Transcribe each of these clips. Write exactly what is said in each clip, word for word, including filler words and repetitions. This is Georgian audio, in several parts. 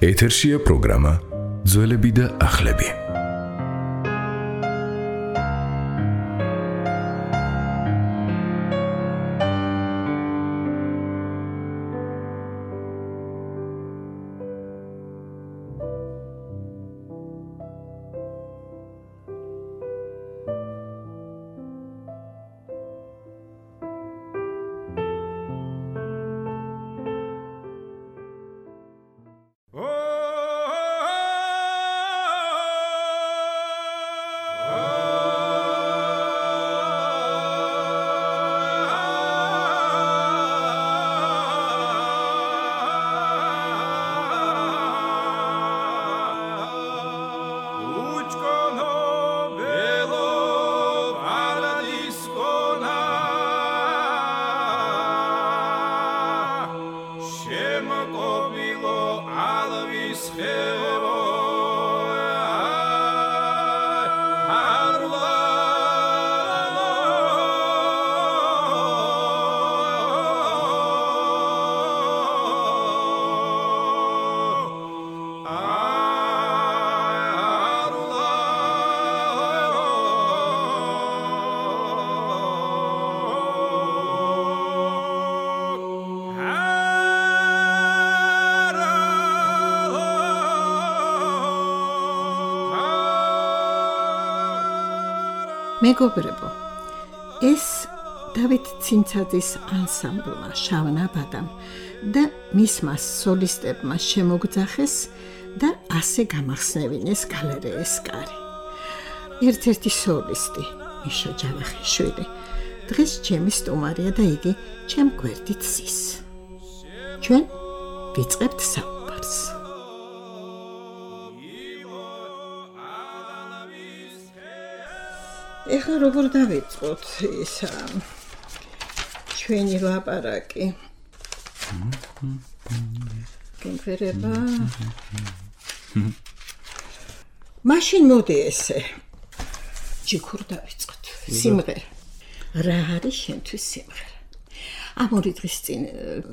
ეთერშია პროგრამა ძველები და ახლები. მეგობრებო, ეს დავით ცინცაძის ანსამბლმა შავნაბადამ და მისმა სოლისტებმა შემოგძახეს და ასე გამახსნევინეს გალერეის კარი. ერთ-ერთი სოლისტი, მიშა ჯავახიშვილი, დღეს ჩემი სტუმარია და იგი ჩემ გვერდით ზის. ჩვენ ვიწყებთ საუბარს. ეხლა როგორ დავიწყოთ ისა ჩვენი ლაპარაკი? გემღერება? მაშინ მოდი ესე. ჯიქურ დავიწყოთ. სიმღერა. რა არის შენთვის სიმღერა? ამ ორი დღის წინ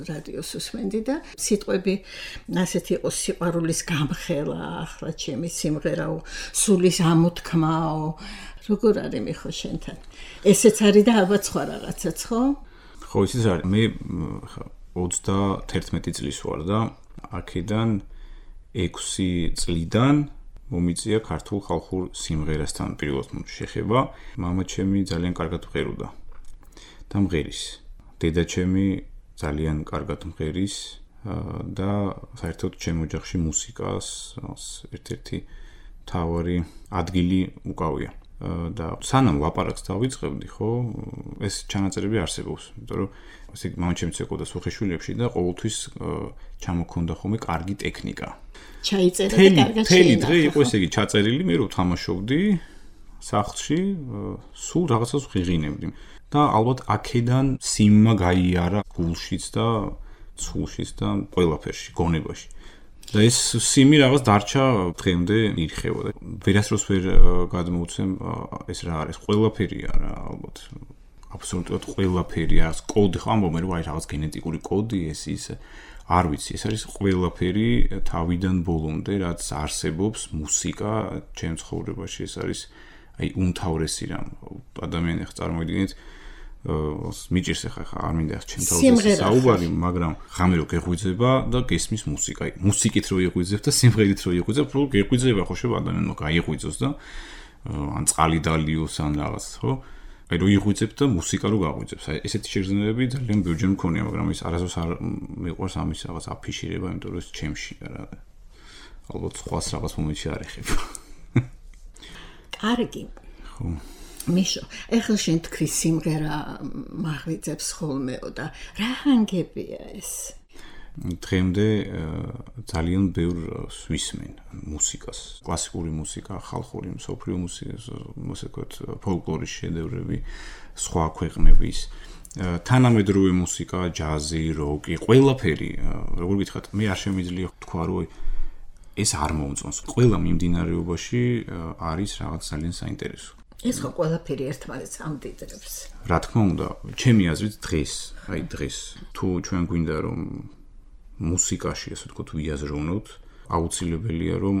რადიოს უსმენდი და სიტყვები ასეთი იყო: სიყვარულის გამხელა, ახლა ჩემი სიმღერაო, სულის ამოთქმაო. როგორ არის მიხო შენთან? ესეც არის და ალბათ სხვა რაღაცაც, ხო? ხო, ისიც არის. მე ოცდაათერთმეტი წლის ვარ და აქედან ექვსი წლიდან მომიწია ქართულ ხალხურ სიმღერასთან პირველად შეხება. მამაჩემი ძალიან კარგად მღეროდა და მღერის. დედაჩემი ძალიან კარგად მღერის და საერთოდ ჩემ ოჯახში მუსიკას ერთ-ერთი მთავარი ადგილი უკავია. და სანამ ლაპარაკს დავიწყებდი, ხო, ეს ჩანაწერები არსებობს, იმიტომ რომ ასე მამაჩემიც ეკოდა სუხიშვილებში და ყოველთვის ჩამოქონდა ხოლმე კარგი ტექნიკა. ჩაიწერა და კარგად შეინახა. თელი დღე იყო ესე იგი ჩაწერილი, მე რო თამაშობდი სახლში, სულ რაღაცას ვღიღინებდი. და ალბათ აქედან სიმმა გაიარა გულშიც და ცულშიც და ყველაფერში, გონებაში. და ეს სიმი რაღაც დარჩა დღემდე ირხევა და ვერასდროს ვერ გადმოვცემ ეს რა არის, ყველაფერია რა, ალბათ აბსოლუტურად ყველაფერი არის, კოდი ხო ამბობენ რომ აი რაღაც გენეტიკური კოდი ეს ის არ ვიცი, ეს არის ყველაფერი თავიდან ბოლომდე რაც არსებობს მუსიკა ჩემ ცხოვრებაში, ეს არის აი უმთავრესი რამ. ადამიანი ხა წარმოიდგინეთ მიჭირს ახლა არ მინდა ჩემ თავზე საუბარი, მაგრამ ღამე რო გეღვიძება და გესმის მუსიკა. მუსიკით რო იღვიძებ და სიმღერით რო იღვიძებ, რო გეღვიძება ხო შევა ადამიანმა გაიღვიძოს და ან წყალი დალიოს ან რაღაც, ხო? აი რო იღვიძებ და მუსიკა რო გაღვიძებს. აი ესეთი შეგრძნებები ძალიან ბევრჯერ მქონია, მაგრამ ის არასდროს არ მიყვარს ამის რაღაც აფიშირება, იმიტომ რომ ეს ჩემში არა. ალბათ სხვას რაღაც მომენტში არ ეხება. კარგი. ხო. მიშო, ეხლა შენ თქვი სიმღერა მაღვიძებს ხოლმეო და რა ჰანგებია ეს? დღემდე ძალიან ბევრ სვისმენ მუსიკას, კლასიკური მუსიკა, ხალხური, მსოფლიო მუსიკა, ფოლკლორის შედევრები, სხვა ქვეყნების, თანამედროვე მუსიკა, ჯაზი, როკი, ყველაფერი, როგორ გითხრათ, მე არ შემიძლია თქვა რომ ეს არ მომწონს. ყველა მიმდინარეობაში არის რაღაც ძალიან საინტერესო. ეს ხო ყველაფერი ერთმანეთს ამდიდრებს. რა თქმა უნდა, ჩემი აზრით დღეს, აი დღეს, თუ ჩვენ გვინდა რომ მუსიკაში, ასე ვთქვათ, ვიაზროვნოთ, აუცილებელია რომ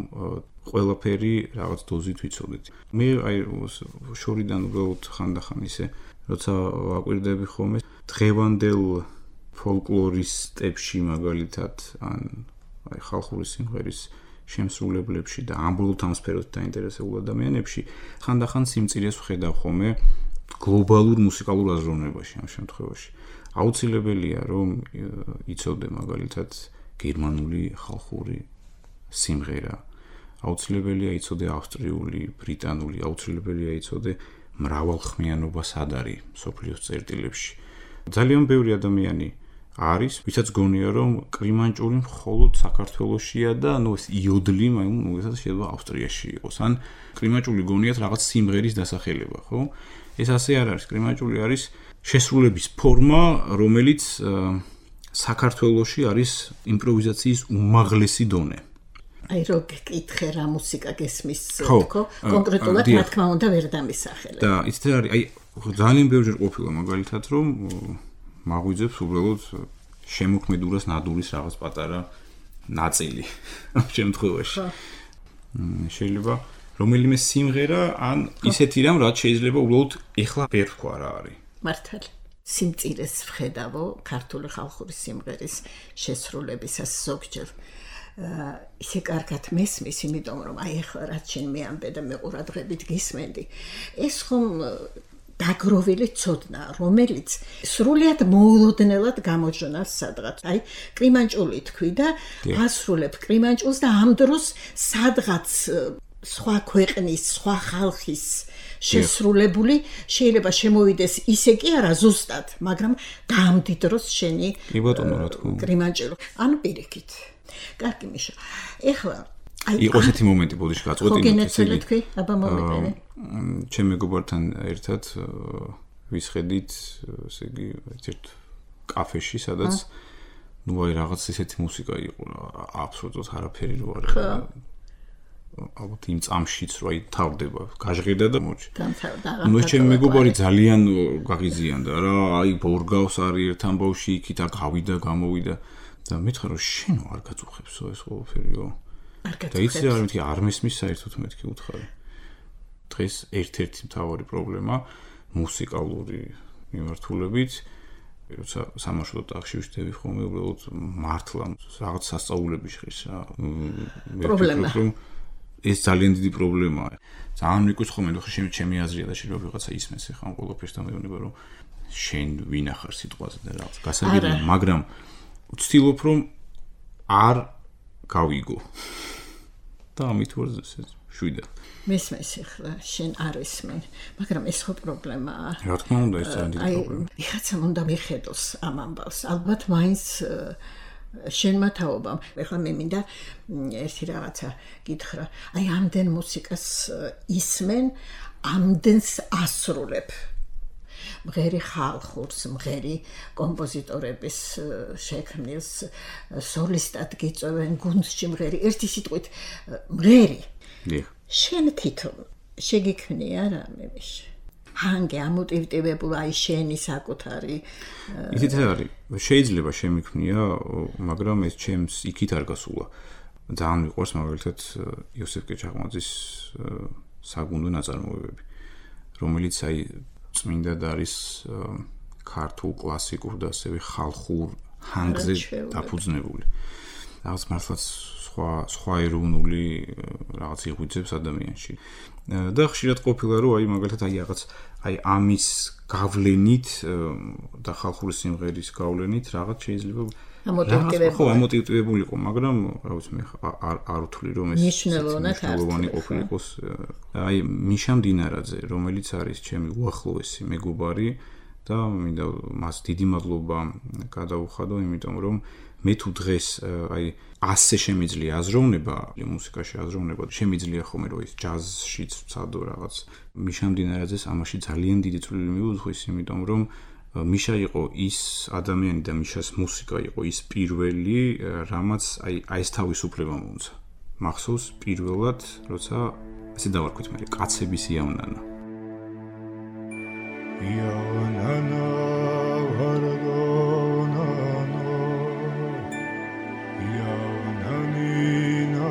ყველაფერი რაღაც დოზით ვიცოდეთ. მე აი შორიდან უბრალოდ ხანდახან ისე როცა ვაკვირდები ხოლმე დღევანდელ ფოლკლორისტებში მაგალითად ან აი ხალხური სიმღერის შემსრულებლებში და ამბოლოდ ამ სფეროთი დაინტერესებულ ადამიანებში ხანდახან სიმწირეს ვხედავ ხოლმე გლობალურ მუსიკალურ აზროვნებაში ამ შემთხვევაში. აუცილებელია რომ იცოდე მაგალითად გერმანული ხალხური სიმღერა. აუცილებელია იცოდე ავსტრიული, ბრიტანული, აუცილებელია იცოდე მრავალხმიანობა სად არის მსოფლიოს წერტილებში. ძალიან ბევრი ადამიანი არის, ვისაც გონია რომ კრიმანჭული მხოლოდ საქართველოშია და ნუ ეს იოდლი, ნუ ეს შეიძლება ავსტრიაში იყოს. ან კრიმანჭული გონიათ რაღაც სიმღერის დასახელება, ხო? ეს ასე არ არის. კრიმანჭული არის შესრულების ფორმა, რომელიც საქართველოში არის იმპროვიზაციის უმაღლესი დონე. აი რო გეკითხე რა მუსიკა გესმის თქო, კონკრეტულად რა თქმა უნდა ვერ დამისახელე. და იცით რა არის, აი ძალიან ბევრჯერ ყოფილა მაგალითად რომ მაღვიძებს უბრალოდ შემოქმედურას ნადურის რაღაც პატარა ნაწილი ამ შემთხვევაში. შეიძლება რომელიმე სიმღერა ან ისეთი რამ რაც შეიძლება უბრალოდ ეხლა ვერ ვქვა რა არის. მართალი. სიმწირეს ვხედავო ქართული ხალხური სიმღერის შესრულებისას ზოგჯერ. ისე კარგად მესმის, იმიტომ რომ აი ახლა რაც შენ მეამბე და მე ყურადღებით გისმენდი. ეს ხომ დაგროვილი ცოდნა, რომელიც სრულიად მოულოდნელად გამოჟონავს სადღაც. აი, კრიმანჭული თქვი და ასრულებ კრიმანჭულს და ამ დროს სადღაც სხვა ქვეყნის, სხვა ხალხის შესრულებული შეიძლება შემოვიდეს ისე კი არა ზუსტად, მაგრამ გამდიდროს შენი კრიმანჭული. ანუ პირიქით. კარგი მიშა. ეხლა იყო ესეთი მომენტი ბოდიში გაწყვეტინოთ ისე. ხო გენეცელი თქვი, აბა მომიტანე. ჩემ მეგობართან ერთად ვისხედით, ესე იგი, ერთ კაფეში, სადაც ნუ აი რაღაც ესეთი მუსიკა იყო, აბსოლუტურად არაფერი რო არის. ალბათ იმ წამშიც რო აი თავდება, გაჟღერდა და მოჩი. ნუ ეს ჩემ მეგობარი ძალიან გაღიზიანდა რა, აი ბორგავს არის ერთ ამბავში, იქით გავიდა, გამოვიდა და მითხრა რომ შენო არ გაწუხებსო ეს ყველაფერიო. და იცი რა მეთქი არ მესმის საერთოდ მეთქი უთხარი. დღეს ერთ-ერთი მთავარი პრობლემა მუსიკალური მიმართულებით, როცა სამაშობლო ტახში ვშდები ხოლმე, უბრალოდ მართლა რაღაც სასწაულები შეხის რა. პრობლემა. ეს ძალიან დიდი პრობლემაა. ძალიან მიკუს ხოლმე, ხო შემი ჩემი აზრია და შეიძლება ვიღაცა ისმეს ახლა ამ ყველაფერს და მეუბნება რომ შენ ვინ ახარ სიტყვაზე და რაღაც გასაგებია, მაგრამ ვცდილობ რომ არ გავიგო. და ამით ვარ შვიდა. მესმის ახლა შენ არ ისმენ, მაგრამ ეს ხო პრობლემაა. რა თქმა უნდა, ეს ძალიან დიდი პრობლემაა. აი, ვიღაცამ უნდა მიხედოს ამ ამბავს. ალბათ მაინც შენმა თაობამ. ახლა მე მინდა ერთი რაღაცა გითხრა. აი, ამდენ მუსიკას ისმენ, ამდენს ასრულებ. მღერი ხალხურს, მღერი კომპოზიტორების შექმნილს, სოლისტად გიწევენ გუნდში მღერი, ერთი სიტყვით მღერი. შენ თვითონ შეგიქმნია რა მემიშ. ჰანგი ამოტივტივებულ აი შენი საკუთარი. ისიც არის, შეიძლება შემიქმნია, მაგრამ ეს ჩემს იქით არ გასულა. ძალიან მიყვარს მაგალითად იოსებ კეჩაღმაძის საგუნდო ნაწარმოებები, რომელიც აი წმინდად არის ქართულ კლასიკურ და ასევე ხალხურ ჰანგზე დაფუძნებული. რაღაც მართლაც სხვა სხვა ეროვნული რაღაც იღვიძებს ადამიანში. და ხშირად ყოფილა რომ აი მაგალითად აი რაღაც აი ამის გავლენით და ხალხური სიმღერის გავლენით რაღაც შეიძლება ამოტივტივებული. ხო, ამოტივტივებული იყო, მაგრამ რა ვიცი მე არ არ ვთვლი რომ ეს მნიშვნელოვანი ყოფილიყოს. აი მიშა მდინარაძე, რომელიც არის ჩემი უახლოესი მეგობარი და მინდა მას დიდი მადლობა გადავუხადო, იმიტომ რომ მე თუ დღეს აი ასე შემიძლია აზროვნება, მუსიკაში აზროვნება, შემიძლია ხოლმე რომ ის ჯაზშიც ვცადო რაღაც. მიშა მდინარაძეს ამაში ძალიან დიდი წვლილი მიუძღვის, იმიტომ რომ მიშა იყო ის ადამიანი და მიშას მუსიკა იყო ის პირველი, რამაც აი აი ეს თავისუფლება მომცა. მახსოვს პირველად, როცა ესე დავარქვით მე, კაცების იავნანა. იავნანა ვარდონანო იავნანინა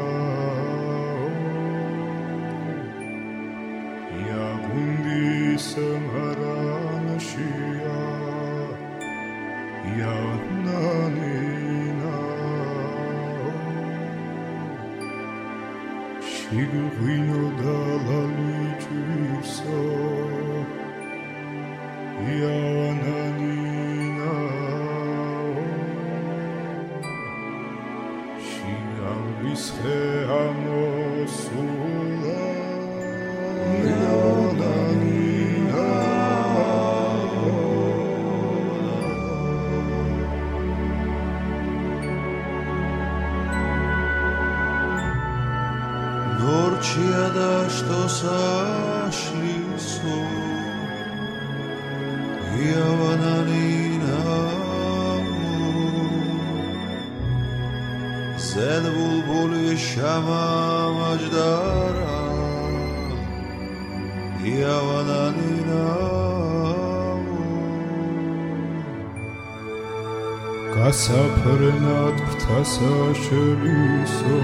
გასაფრენად ფრთასა შელისო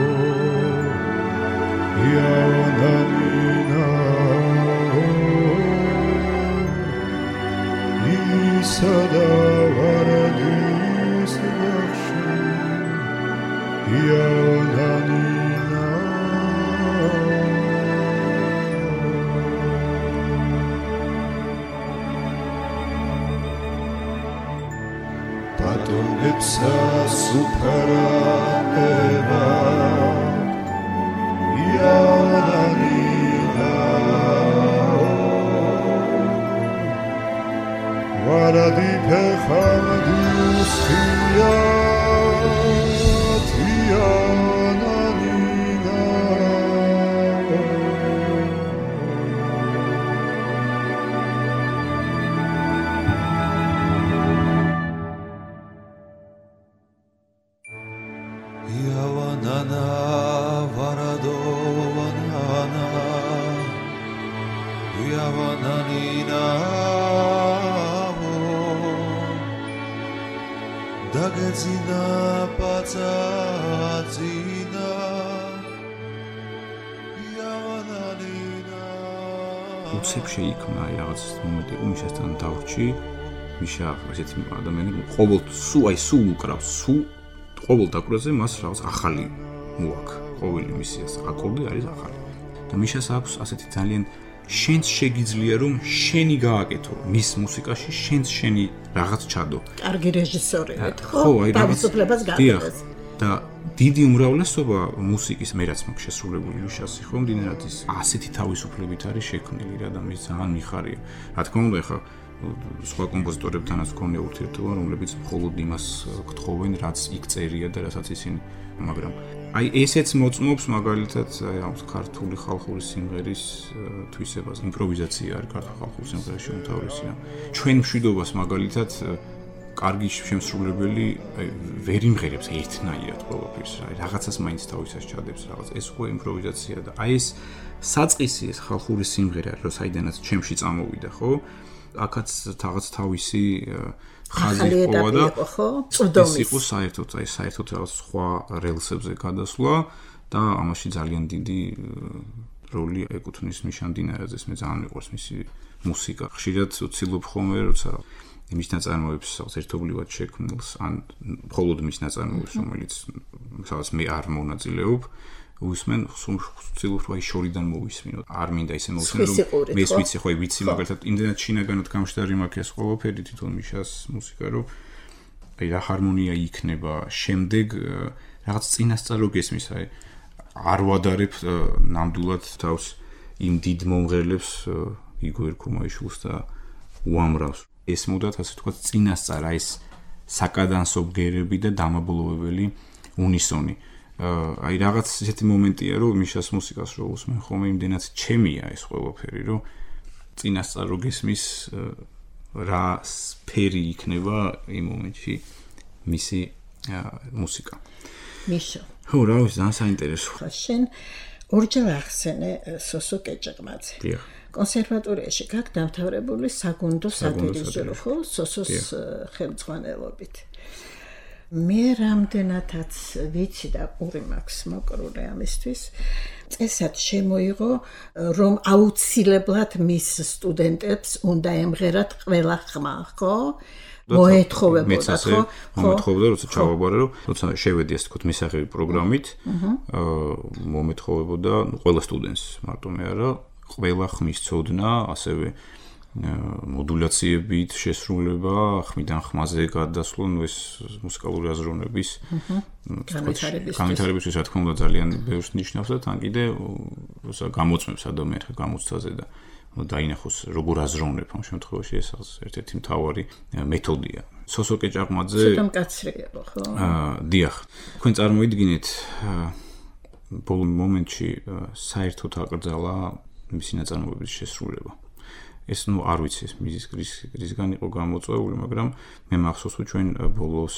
იავანალინა ისა და ვარადის ნახში იავანალინა ბატონებსა სუფრაება იავანალინა ვარადი ფეხამდი უსხია თიანალინა იავანანა ვარადოვანანა იავანალინა დაგეძინა პაცაცინა იავანალინა უცებ შეიქმნა აი რაღაც მომენტი უმისასთან დავრჩი მიშა ესეთი ადამიანი ყოველ სულ აი სულ უკრავს სულ ყოველ დაკვრაზე მას რაღაც ახალი მოაქვს ყოველი მისიას აკორდი არის ახალი და მიშას აქვს ასეთი ძალიან შენს შეგიძლია რომ შენი გააკეთო მის მუსიკაში შენს შენი რაღაც ჩადო კარგი რეჟისორი ვეთ ხო ხო აი თავისუფლებას გააჩენს და დიდი უმრავლესობა მუსიკის მე რაც მაქვს შესრულებული მიშასი ხო მდინარად ის ასეთი თავისუფლებით არის შექმნილი რა და მის ძალიან მიხარია რა თქმა უნდა ეხა სხვა კომპოზიტორებთანაც გქონია ურთიერთობა რომლებიც მხოლოდ იმას გთხოვენ რაც იქ წერია და რასაც ისინი მაგრამ აი ესეც მოწმობს მაგალითად აი ამ ქართული ხალხური სიმღერის თვისებას იმპროვიზაცია არის ქართული ხალხური სიმღერაში უმთავრესია ჩვენ მშვიდობას მაგალითად კარგი შემსრულებელი აი ვერ იმღერებს ერთნაირად ყველაფერს აი რაღაცას მაინც თავისას ჩადებს რაღაც ეს უკვე იმპროვიზაცია და აი ეს საწყისი ეს ხალხური სიმღერა რო საიდანაც ჩემში წამოვიდა ხო აქაც რაღაც თავისი ხაზი ყოვა და ეს იყო საერთოდ აი საერთოდ რაღაც სხვა რელსებზე გადასვლა და ამაში ძალიან დიდი როლი ეკუთვნის მიშა მდინარაძეს მე ძალიან მიყვარს მისი მუსიკა ხშირად ვცილობ ხოლმე როცა მის ნაწარმოებს რაღაც ერთობლივად შექმნილს ან მხოლოდ მის ნაწარმოებს რომელიც სადაც მე არ მონაწილეობ უსმენ სულ აი შორიდან მოვისმინო არ მინდა ისე მოვისმინო რომ მე ვიცი ხო ვიცი მაგალითად იმდენად შინაგანად გამშდარი მაქვს ეს ყველაფერი თვითონ მიშას მუსიკა რომ აი რა ჰარმონია იქნება შემდეგ რაღაც წინასწარ გესმის აი არ ვადარებ ნამდვილად თავს იმ დიდ მომღერლებს იგორ ქუმაიშვილს და უამრავს ეს მუდათ ასე თქვა წინასწარ აი ეს საკადანსო ბგერები და დამაბოლოებელი უნისონი აი რაღაც ისეთი მომენტია რომ მიშას მუსიკას რო უსმენ ხოლმე იმდენად ჩემია ეს ყველაფერი რომ წინასწარ რო გესმის რა სფერი იქნება იმ მომენტში მისი მუსიკა მიშა ხო რა ვიცი ძალიან საინტერესო ხო შენ ორჯერ ახსენე სოსო კეჭეყმაძე დიახ კონსერვატორიაში გაქვს დამთავრებული საგუნდო სადირიჟორო ხო სოსოს ხელმძღვანელობით მე რამდენადაც ვიცი და პური მაქვს მოკრული ამისთვის წესად შემოიღო რომ აუცილებლად მის სტუდენტებს უნდა ემღერათ ყველა ხმა ხო მოეთხოვებოდა ხო მომეთხოვებოდა როცა ჩავაბარე რომ როცა შევედი ასე თქო მისაღები პროგრამით მომეთხოვებოდა ყველა სტუდენტს მარტო მე არა ყველა ხმის ცოდნა ასევე მოდულაციებით შესრულება ხმიდან ხმაზე გადასვლა ნუ ეს მუსიკალური აზროვნების განვითარებისთვის რა თქმა უნდა ძალიან ბევრს ნიშნავს და თან კიდე როცა გამოწმებს ადამიანს გამოცდაზე და დაინახოს როგორ აზროვნებ ამ შემთხვევაში ეს ერთ-ერთი მთავარი მეთოდია სოსოკე ჭაყმაძე ცოტა მკაცრია ხო აა დიახ თქვენ წარმოიდგინეთ ბოლო მომენტში საერთოდ აკრძალა მისი ნაწარმოებების შესრულება ეს ნუ არ ვიცი ეს მიზის რისგან იყო გამოწვეული მაგრამ მე მახსოვს რომ ჩვენ ბოლოს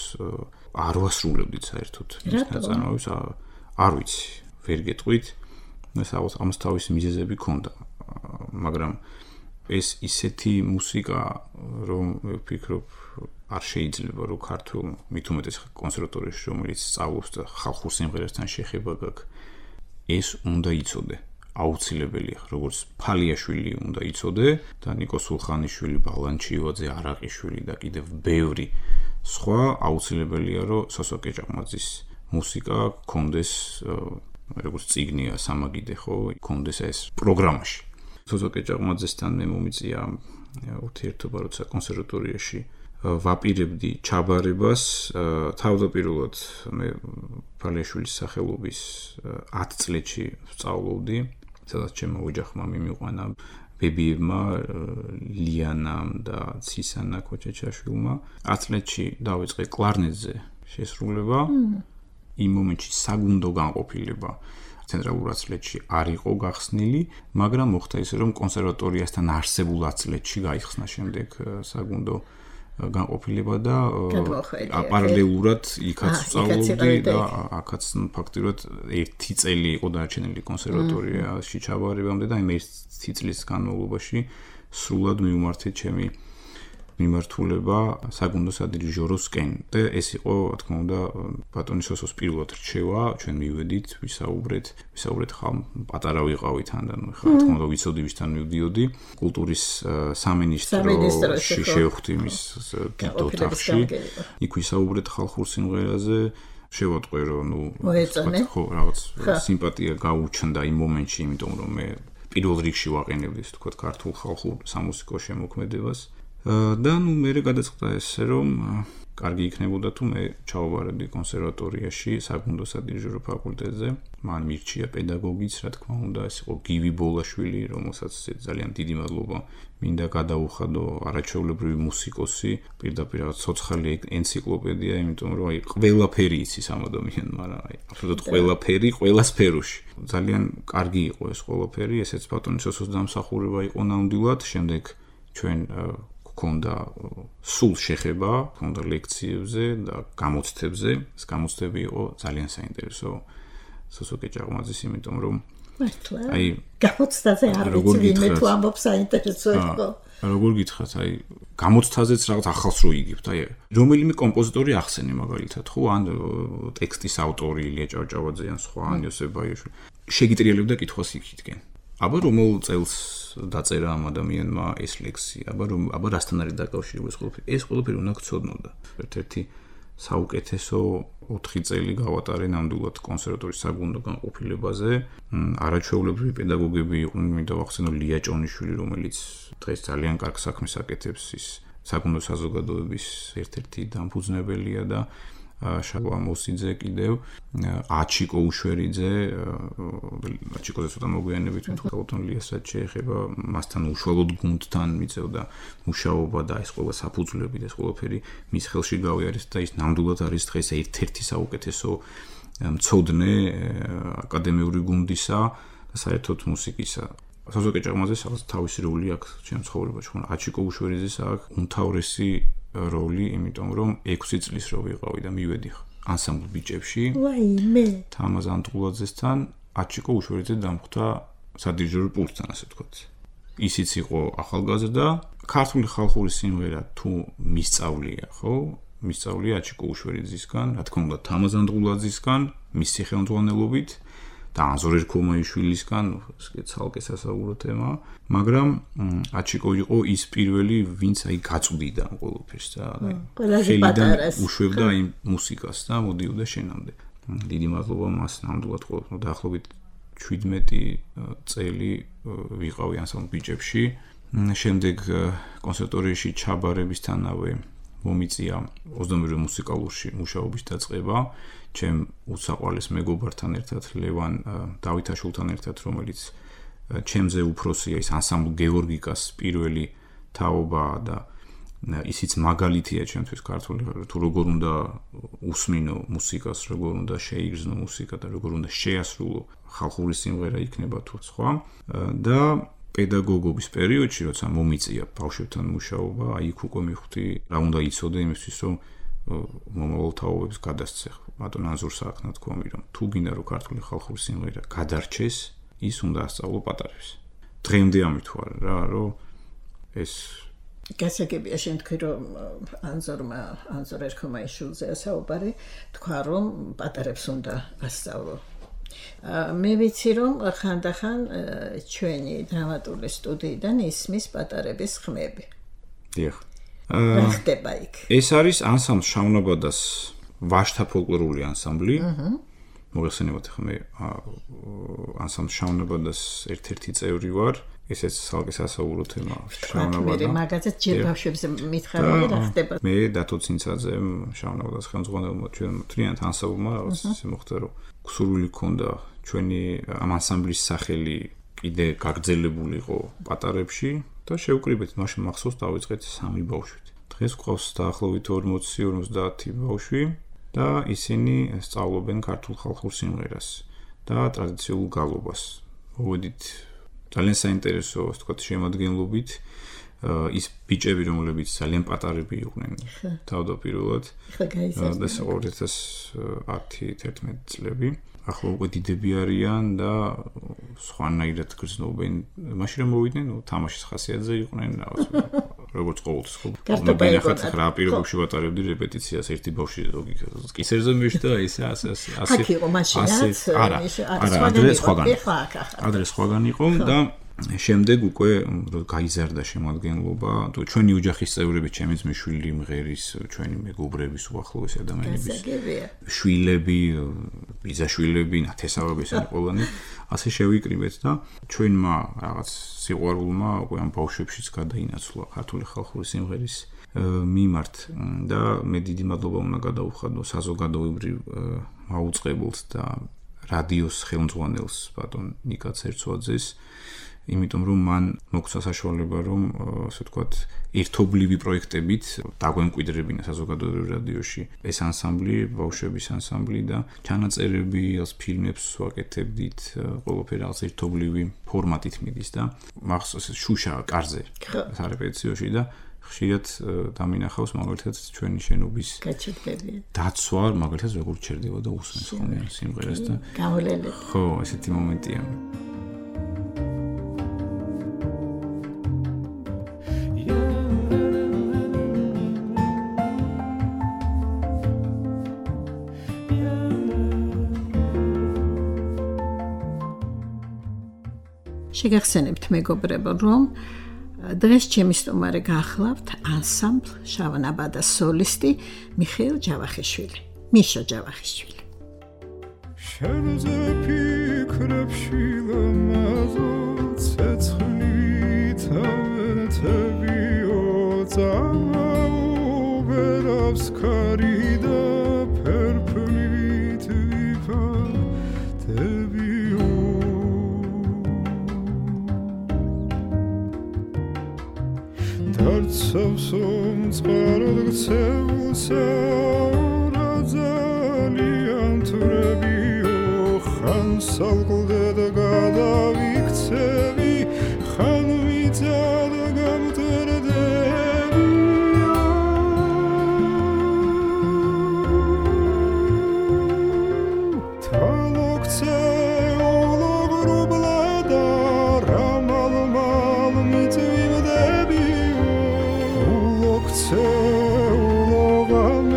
არ ვასრულებდით საერთოდ მის ნაწარმოებებს არ ვიცი ვერ გეტყვით ეს ამას თავისი მიზეზები ჰქონდა მაგრამ ეს ისეთი მუსიკა რომ ვფიქრობ არ შეიძლება რომ ქართულ მით უმეტეს კონსერვატორიაში რომელიც სწავლობს და ხალხურ სიმღერასთან შეხება გაქვს ეს უნდა იცოდე აუცილებელია როგორც ფალიაშვილი უნდა იცოდე და ნიკო სულხანიშვილი ბალანჩივაძე არაყიშვილი და კიდევ ბევრი სხვა აუცილებელია რომ სოსოკე ჭაყმაძის მუსიკა კონდეს როგორც წიგნია სამაგიდე ხო კონდეს ეს პროგრამაში სოსოკე ჭაყმაძესთან მე მომიწია ურთიერთობა როცა კონსერვატორიაში ვაპირებდი ჩაბარებას თავდაპირველად მე ფალიაშვილის სახელობის ათ წლებში ვსწავლობდი სადაც ჩემო ოჯახმა მიმიყვანა ბებიებმა ლიანამ და ცისანა ქოჩეჩაშვილმა ათ წლებში დავიწყე კლარნეტზე შესრულება იმ მომენტში საგუნდო განყოფილება ცენტრალურ ათწლედში არ იყო გახსნილი, მაგრამ მოხდა ისე რომ კონსერვატორიასთან არსებულ ათწლედში გაიხსნა შემდეგ საგუნდო განყოფილება და პარალელურად იქაც სწავლობდი და აქაც ფაქტიურად ერთი წელი იყო დარჩენილი კონსერვატორიაში ჩაბარებამდე და იმ ერთი წლის განმავლობაში სრულად მივმართე ჩემი მიმართულება საგუნდო სადირიჟოროსკენ და ეს იყო რა თქმა უნდა ბატონი სოსოს პირველად რჩევა ჩვენ მივედით ვისაუბრეთ ვისაუბრეთ ხალ პატარა ვიყავით თან და ხა რა თქმა უნდა ვიცოდი ვისთან მივდიოდი კულტურის სამინისტროში შევხვდი მის ოთახში იქ ვისაუბრეთ ხალხურ სიმღერაზე შევატყვე რომ ნუ ხო რაღაც სიმპათია გაუჩნდა იმ მომენტში იმიტომ რომ მე პირველ რიგში ვაყენებდი ისე თქვა ქართულ ხალხურ სამუსიკო შემოქმედებას და ნუ მე გადაწყდა ესე რომ კარგი იქნებოდა თუ მე ჩავაბარებდი კონსერვატორიაში საგუნდო სადირიჟორო ფაკულტეტზე მან მირჩია პედაგოგიც რა თქმა უნდა ეს იყო გივი ბოლაშვილი რომელსაც ძალიან დიდი მადლობა მინდა გადაუხადო არაჩვეულებრივი მუსიკოსი პირდაპირ რაღაც ცოცხალი ენციკლოპედია იმიტომ რომ აი ყველაფერი იცის ამ ადამიანს მაგრამ აი აბსოლუტურად ყველაფერი ყველა სფეროში ძალიან კარგი იყო ეს ყველაფერი ესეც ბატონი სოსოს დამსახურება იყო ნამდვილად შემდეგ ჩვენ ქონდა სულ შეხება, ქონდა ლექციებზე და გამოცდებზე. ეს გამოცდები იყო ძალიან საინტერესო სოსოკე ჭაყმაძის, იმიტომ რომ მართლა აი გამოცდაზე არ ვიცი ვინმე თუ ამბობს საინტერესო იყო. როგორ გითხრათ, აი გამოცდაზეც რაღაც ახალს რო იგებთ, აი რომელიმე კომპოზიტორი ახსენე მაგალითად, ხო, ან ტექსტის ავტორი ილია ჭავჭავაძე ან სხვა ან იოსებ ბაიაშვილი. შეგიტრიალებდა კითხვას იქითკენ. აბა რომელ წელს დაწერა ამ ადამიანმა ეს ლექსი, აბა რომ აბა რასთან არის დაკავშირებული ეს ყველაფერი? ეს ყველაფერი უნდა გწოდნოდა. ერთ-ერთი საუკეთესო ოთხი წელი გავატარე ნამდვილად კონსერვატორიის საგუნდო განყოფილებაზე. არაჩვეულებრივი პედაგოგები იყვნენ, მინდა ვახსენო ლია ჭონიშვილი, რომელიც დღეს ძალიან კარგ საქმეს აკეთებს ის საგუნდო საზოგადოების ერთ-ერთი დამფუძნებელია და შალვა მოსიძე კიდევ აჩიკო უშვერიძე აჩიკოზე ცოტა მოგვიანებით ვთქვათ ლიას რაც შეეხება მასთან უშუალოდ გუნდთან მიწევდა მუშაობა და ეს ყველა საფუძვლები და ეს ყველაფერი მის ხელში გავიარეს და ის ნამდვილად არის დღეს ერთ-ერთი საუკეთესო მცოდნე აკადემიური გუნდისა და საერთოდ მუსიკისა სოსოკე ჭაყმაძეს თავისი როლი აქვს ჩემ ცხოვრებაში ხო აჩიკო უშვერიძეს აქვს უმთავრესი როლი, იმიტომ რომ ექვსი წლის რო ვიყავი და მივედი ანსამბლ ბიჭებში. ვაიმე. თამაზ ანტულაძესთან აჩიკო უშვერიძე დამხვდა სადირიჟორო პულტთან, ასე ვთქვათ. ისიც იყო ახალგაზრდა, ქართული ხალხური სიმღერა თუ მისწავლია, ხო? მისწავლია აჩიკო უშვერიძისგან, რა თქმა უნდა თამაზან დღულაძისგან, მისი ხელმძღვანელობით და ანზორ ერქომაიშვილისგან, ეს ცალკე სასაუბრო თემა, მაგრამ აჩიკო იყო ის პირველი, ვინც აი გაწვდიდა ყველაფერს და ხელიდან უშვებდა იმ მუსიკას და მოდიოდა შენამდე. დიდი მადლობა მას ნამდვილად ყოველდღე დაახლოებით შვიდმეტი წელი ვიყავი ანსამბლ ბიჭებში. შემდეგ კონსერვატორიაში ჩაბარებისთანავე მომიწია ოცდამეორე მუსიკალურში მუშაობის დაწყება, ჩემ უსაყვარლეს მეგობართან ერთად, ლევან დავითაშვილთან ერთად, რომელიც ჩემზე უფროსია, ის ანსამბლ გეორგიკას პირველი თაობა და ისიც მაგალითია ჩემთვის ქართული, თუ როგორ უნდა უსმინო მუსიკას, როგორ უნდა შეიგრძნო მუსიკა და როგორ უნდა შეასრულო ხალხური სიმღერა იქნება თუ სხვა და პედაგოგობის პერიოდში, როცა მომიწია ბავშვებთან მუშაობა, აი იქ უკვე მივხვდი, რა უნდა იცოდე იმისთვის, რომ მომავალ თაობებს გადასცე. ბატონ ანზორ სააქნათქვამი, რომ თუ გინდა რომ ქართული ხალხური სიმღერა გადარჩეს, ის უნდა ასწავლო პატარებს. დღემდე ამით ვარ რა, რომ ეს გასაგებია შენ თქვი რომ ანზორმა ანზორ ერქომაიშვილზე საუბარი თქვა რომ პატარებს უნდა ასწავლო. მე ვიცი რომ ხანდახან ჩვენი დრამატული სტუდიიდან ისმის პატარების ხმები. დიახ. რა ხდება იქ? ეს არის ანსამბლ შავნაბადას ვაშთა ფოლკლორული ანსამბლი. მოგეხსენებათ ხომ მე ანსამბლ შავნაბადას ერთ-ერთი წევრი ვარ. ესეც ცალკე სასაუბრო თემა შავნაბადა. მე მაგაზე ჯერ ბავშვებზე მითხარი რა ხდება. მე დათო ცინცაძემ შავნაბადას ხელმძღვანელმა ჩვენ მთლიანად ანსამბლმა რაღაც ისე მოხდა რომ გსურვილი ქონდა ჩვენი ამ ანსამბლის სახელი კიდე გაგრძელებულიყო პატარებში და შევკრიბეთ მაშინ მახსოვს დავიწყეთ სამი ბავშვით. დღეს გვყავს დაახლოებით ორმოცი ორმოცდაათი ბავშვი და ისინი სწავლობენ ქართულ ხალხურ სიმღერას და ტრადიციულ გალობას. მოვედით ძალიან საინტერესო, ასე ვთქვათ, შემოადგენლობით ის ბიჭები, რომლებიც ძალიან პატარები იყვნენ თავდაპირველად. და ორი ათას ათი ათერთმეტი წლები. ახლა უკვე დიდები არიან და სხვანაირად გრძნობენ. მაშინ რომ მოვიდნენ, ნუ თამაშის ხასიათზე იყვნენ, რაღაც როგორც ყოველთვის ხო. ნახეთ რა პირობებში ვატარებდი რეპეტიციას, ერთი ბავშვი კისერზე მეშდა, ისე ასე ასე ასე. აქ იყო მაშინაც, არა, არა, ადრე სხვაგან. ადრე სხვაგან იყო და შემდეგ უკვე გაიზარდა შემოადგენლობა, თუ ჩვენი ოჯახის წევრები, ჩემი ძმისშვილი, მღერის, ჩვენი მეგობრების, უახლოესი ადამიანების შვილები, ბიძაშვილები, ნათესავები ესენი ყველანი, ასე შევიკრიბეთ და ჩვენმა რაღაც სიყვარულმა უკვე ამ ბავშვებშიც გადაინაცვლა ქართული ხალხური სიმღერის მიმართ და მე დიდი მადლობა უნდა გადაუხადო საზოგადოებრივ მაუწყებელს და რადიოს ხელმძღვანელს ბატონ ნიკა ცერცვაძეს. იმიტომ რომ მან მოგცა საშუალება რომ ასე ვთქვათ ერთობლივი პროექტებით დაგვემკვიდრებინა საზოგადოებრივ რადიოში ეს ანსამბლი, ბავშვების ანსამბლი და ჩანაწერები, ეს ფილმებს ვაკეთებდით, ყველაფერი რაღაც ერთობლივი ფორმატით მიდის და მახსოვს შუშა კარზე სარეპეტიციოში და ხშირად დამინახავს მაგალითად ჩვენი შენობის გაჩერდები. დაცვა მაგალითად როგორ ჩერდება და უსმენს ხოლმე სიმღერას და გავლენები. ხო, ესეთი მომენტია. შეგახსენებთ მეგობრებო, რომ დღეს ჩემი სტუმარი გახლავთ ანსამბლ შავნაბადას სოლისტი მიხეილ ჯავახიშვილი. მიშა ჯავახიშვილი. შენზე ფიქრებში ლამაზო ცეცხლით ავენთებიო წამაუღერავს ქარი და ფერფლივით ვიფარდებიო დარცავსომ წყაროდ გცეულსა რა ძალიან თვრებიო ხან სალყლდე და გადავიქცევი ხან ვიწა და გამტერდებიო თალოქცე ულოგრუბლა და რამალ-მალ მიწვიმდებიო ულოქცე ულოგამ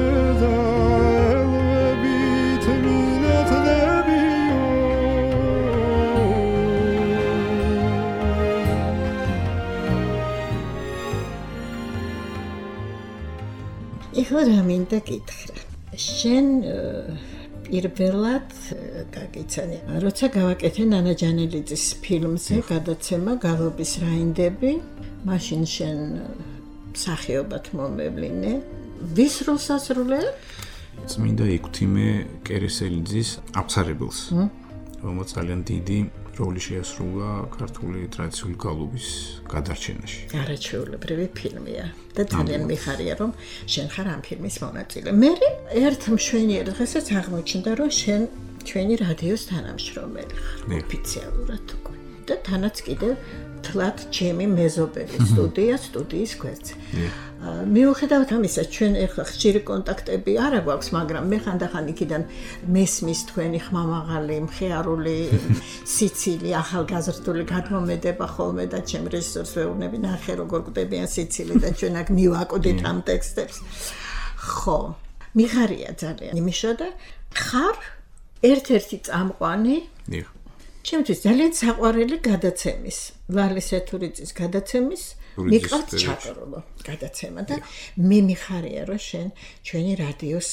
ეხლა რა მინდა გითხრა. შენ პირველად გაგიცანი, როცა გავაკეთე ნანა ჯანელიძის ფილმზე გადაცემა გალობის რაინდები, მაშინ შენ მსახიობად მომევლინე. ვის როლს ასრულებ? წმინდა ექვთიმე კერესელიძის აფსარებელს, რომელიც ძალიან დიდი როლი შეასრულა ქართული ტრადიციული გალობის გადარჩენაში. არაჩვეულებრივი ფილმია და ძალიან მიხარია, რომ შენ ხარ ამ ფილმის მონაწილე. მე ერთ მშვენიერ დღესაც აღმოჩნდა, რომ შენ ჩვენი რადიოს თანამშრომელი ხარ, ოფიციალურად უკვე. და თანაც კიდევ თლად ჩემი მეზობელი სტუდია, სტუდიის გვერდზე. მიუხედავად ამისა, ჩვენ ახლა ხშირი კონტაქტები არ აქვს, მაგრამ მე ხანდახან იქიდან მესმის თქვენი ხმამაღალი, მხიარული სიცილი, ახალგაზრდული გადმომედება ხოლმე და ჩემ რეჟისორს ვეუბნები, ნახე როგორ გვდებიან სიცილი და ჩვენ აქ მივაკოდით ამ ტექსტებს. ხო, მიხარია ძალიან. იმიშო და ხარ ერთ-ერთი წამყვანი ჩემთვის ძალიან საყვარელი გადაცემის, ვალის ეთურიძის გადაცემის მიყავთ ჩაკრულო გადაცემა და მე მიხარია, რომ შენ ჩვენი რადიოს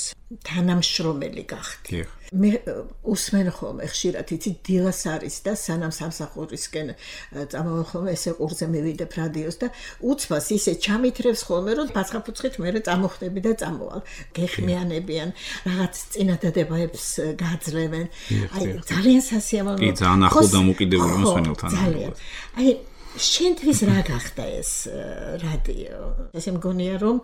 თანამშრომელი გახდი. მე უსმენ ხოლმე ხშირად იცი დილას არის და სანამ სამსახურისკენ წამოვალ ხოლმე ესე ყურზე მივიდებ რადიოს და უცბას ისე ჩამითრევს ხოლმე, რომ ბაცხაფუცხით მერე წამოხდები და წამოვალ. გეხმიანებიან, რაღაც წინადადებებს გაძლევენ. აი ძალიან სასიამოვნო. კი, ძალიან ახლო დამოკიდებული მოსვენელთან. ძალიან. აი შენთვის რა გახდა ეს რადიო? ესე მგონია, რომ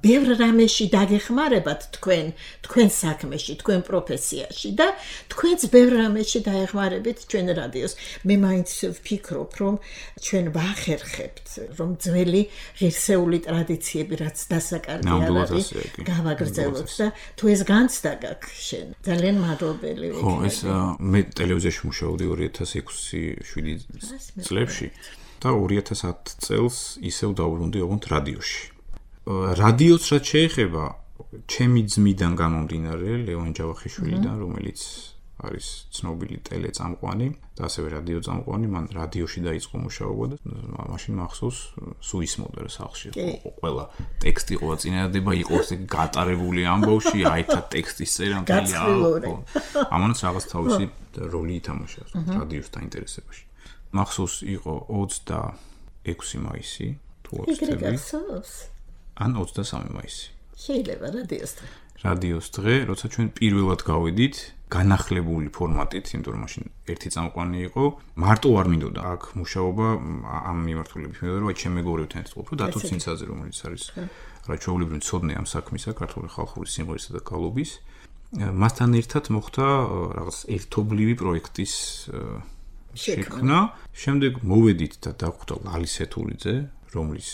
ბევრ რამეში დაგეხმარებათ თქვენ, თქვენ საქმეში, თქვენ პროფესიაში და თქვენც ბევრ რამეში დაეხმარებით ჩვენ რადიოს. მე მაინც ვფიქრობ, რომ ჩვენ ვახერხებთ, რომ ძველი ღირსეული ტრადიციები, რაც დასაკარგი არის, გავაგრძელოთ და თუ ეს განცდა გაქვს შენ, ძალიან მადლობელი ვიქნები. ხო, ეს მე ტელევიზიაში მუშაობდი ორი ათას ექვსი შვიდი წლებში. და ორი ათას ათი წელს ისევ დავბრუნდი ოღონდ რადიოში. რადიოს რაც შეეხება, ჩემი ძმიდან გამომდინარე, ლევან ჯავახიშვილიდან, რომელიც არის ცნობილი ტელეწამყვანი და ასევე რადიო წამყვანი, მან რადიოში დაიწყო მუშაობა და მაშინ მახსოვს სუისმოდა სახლში. ყველა ტექსტი, ყველა წინადადება იყო გატარებული ამბავში, აითა ტექსტის წერა მთელი ამანაც რაღაც თავისი როლი ითამაშა რადიოს დაინტერესებაში. მახსოვს იყო ოცდაექვსი მაისი, თუ ოცდები. ან ოცდასამი მაისი. შეიძლება რადიოს დღე. რადიოს დღე, როცა ჩვენ პირველად გავედით, განახლებული ფორმატით, იმიტომ რომ მაშინ ერთი წამყვანი იყო, მარტო არ მინდოდა აქ მუშაობა ამ მიმართულებით. მე ვარ, ჩემ მეგობრებთან ერთად ვყოფ, დათო ცინცაძე, რომელიც არის რაჩვეულებრივი მცოდნე ამ საქმისა, ქართული ხალხური სიმღერისა და გალობის. მასთან ერთად მოხდა რაღაც ერთობლივი პროექტის შექმნა. შემდეგ მოვედით და დაგვხვდა ლალის ეთურიძე, რომლის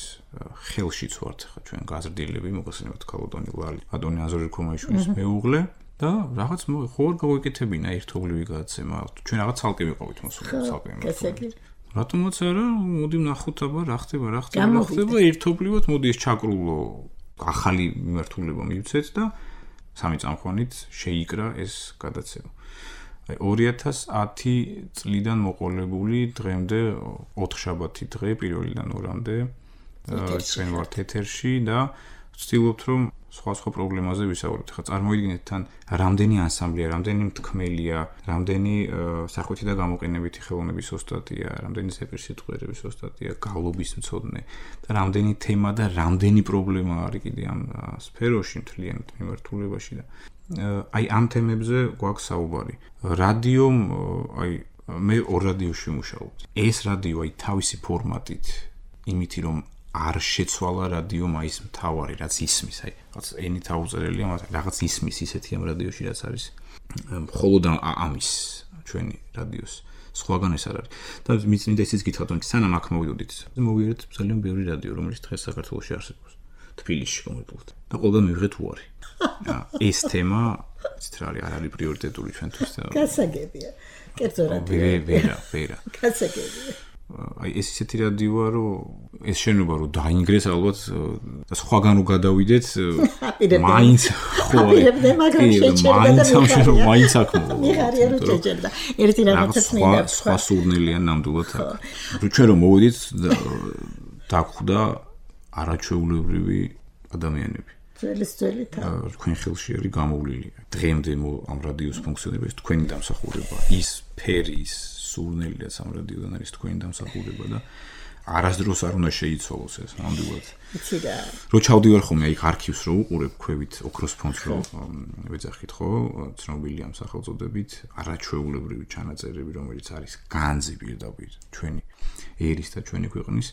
ხელშიც ვართ ხა ჩვენ გაზრდილები, მოგესალმებით ქალოდანი ლალი, ადონი აზური ქომაიშვილის მეუღლე და რაღაც ხო არ გავეკეთებინა ერთობლივი გადაცემა. ჩვენ რაღაც ცალკე ვიყავით მოსული, ცალკე იმართული. რატომაც არა, მოდი ვნახოთ აბა რა ხდება, რა ხდება, რა ხდება ერთობლივად, მოდი ეს ჩაკრულო ახალი მიმართულება მივცეთ და სამი წამყვანით შეიკრა ეს გადაცემა. ორი ათას ათი წლიდან მოყოლებული დღემდე ოთხშაბათი დღე პირველიდან ორამდე ჩვენ ვართ ეთერში და ვცდილობთ რომ სხვა სხვა პრობლემაზე ვისაუბროთ. ხა წარმოიდგინეთ თან რამდენი ანსამბლია, რამდენი მთქმელია, რამდენი სახვითი და გამოყენებითი ხელოვნების ოსტატია, რამდენი ზეპირსიტყვიერების ოსტატია, გალობის მცოდნე და რამდენი თემა და რამდენი პრობლემა არის კიდე ამ სფეროში მთლიანად მიმართულებაში და აი ამ თემებზე გვაქვს საუბარი. რადიომ, აი მე ორ რადიოში ვმუშაობ. ეს რადიო აი თავისი ფორმატით, იმითი რომ არ შეცვალა რადიომ აი ეს მთავარი რაც ისმის, აი რაღაც ენით აუწერელია, მაგრამ რაღაც ისმის ისეთი ამ რადიოში რაც არის. მხოლოდ ამის ჩვენი რადიოს სხვაგან ეს არ არის. და მიწმინდა ისიც გითხრათ, რომ სანამ აქ მოვიდოდით, მოვიარეთ ძალიან ბევრი რადიო, რომელიც დღეს საქართველოში არსებობს. თბილისში კონკრეტულად. და ყველგან მივიღეთ უარი. ეს თემა ცით რა არის, არ არის პრიორიტეტული ჩვენთვის. გასაგებია. კერძო რადიო. ვერა, ვერა. გასაგებია. აი ეს ისეთი რადიოა, რომ ეს შენობა რომ დაინგრეს ალბათ და სხვაგან რო გადავიდეთ, მაინც ხო აპირებდე, მაგრამ შეჭერდა და მაინც მაინც აქ მოვა. მიხარია რომ შეჭერდა. ერთი რაღაცაც მინდა. სხვა სურნელია ნამდვილად აქ. ჩვენ რომ მოვედით დაგვხვდა არაჩვეულებრივი ადამიანები. ძველის ძველი თავი. თქვენ ხელში არის გამოვლილი. დღემდე ამ რადიოს ფუნქციონირებს თქვენი დამსახურება. ის ფერი, ის სურნელი რაც ამ რადიოდან არის თქვენი დამსახურება და არასდროს არ უნდა შეიცვალოს ეს ნამდვილად. იცი რა. რო ჩავდივარ ხოლმე აი არქივს რო უყურებ ქვევით ოქროს ფონდს რო ვეძახით ხო ცნობილი ამ სახელწოდებით არაჩვეულებრივი ჩანაწერები რომელიც არის განძი პირდაპირ ჩვენი ერის და ჩვენი ქვეყნის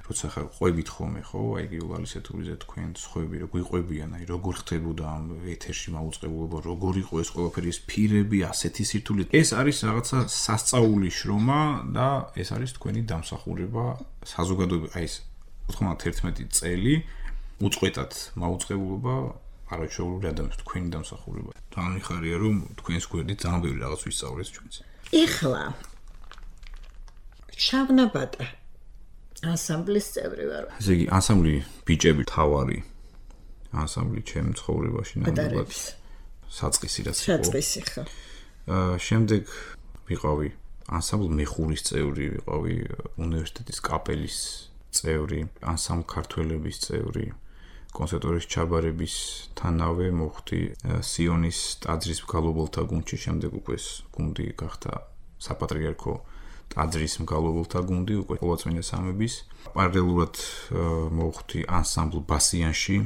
როცა ხარ ყვებით ხოლმე ხო აი გიულალის ეთურიზე თქვენ სხვები რო გვიყვებიან აი როგორ ხდებოდა ამ ეთერში მაუწყებლობა როგორ იყო ეს ყველაფერი ეს ფირები ასეთი სირთულე ეს არის რაღაცა სასწაული შრომა და ეს არის თქვენი დამსახურება საზოგადოება აი ეს ოთხმოცდაერთმეტი წელი უწყვეტად მაუწყებლობა არაჩვეულებრივი ადამიანის თქვენი დამსახურება. თან მიხარია რომ თქვენს გვერდით ძალიან ბევრი რაღაც ვისწავლეთ ჩვენც. ეხლა შავნაბატა ანსამბლის წევრი ვარ. ესე იგი ანსამბლი ბიჭები თავარი ანსამბლი ჩემ ცხოვრებაში ნამდვილად საწყისი რაც იყო. საწყისი ხო. აა შემდეგ ვიყავი ანსამბლ მეხურის წევრი, ვიყავი უნივერსიტეტის კაპელის წევრი, ანსამბლ ქართველების წევრი, კონსერვატორიის ჩაბარების თანავე მოხდი სიონის ტაძრის მგალობელთა გუნდში, შემდეგ უკვე ეს გუნდი გახდა საპატრიარქო ტაძრის მგალობელთა გუნდი, უკვე ყოველწმინდა სამების. პარალელურად მოხდი ანსამბლ ბასიანში,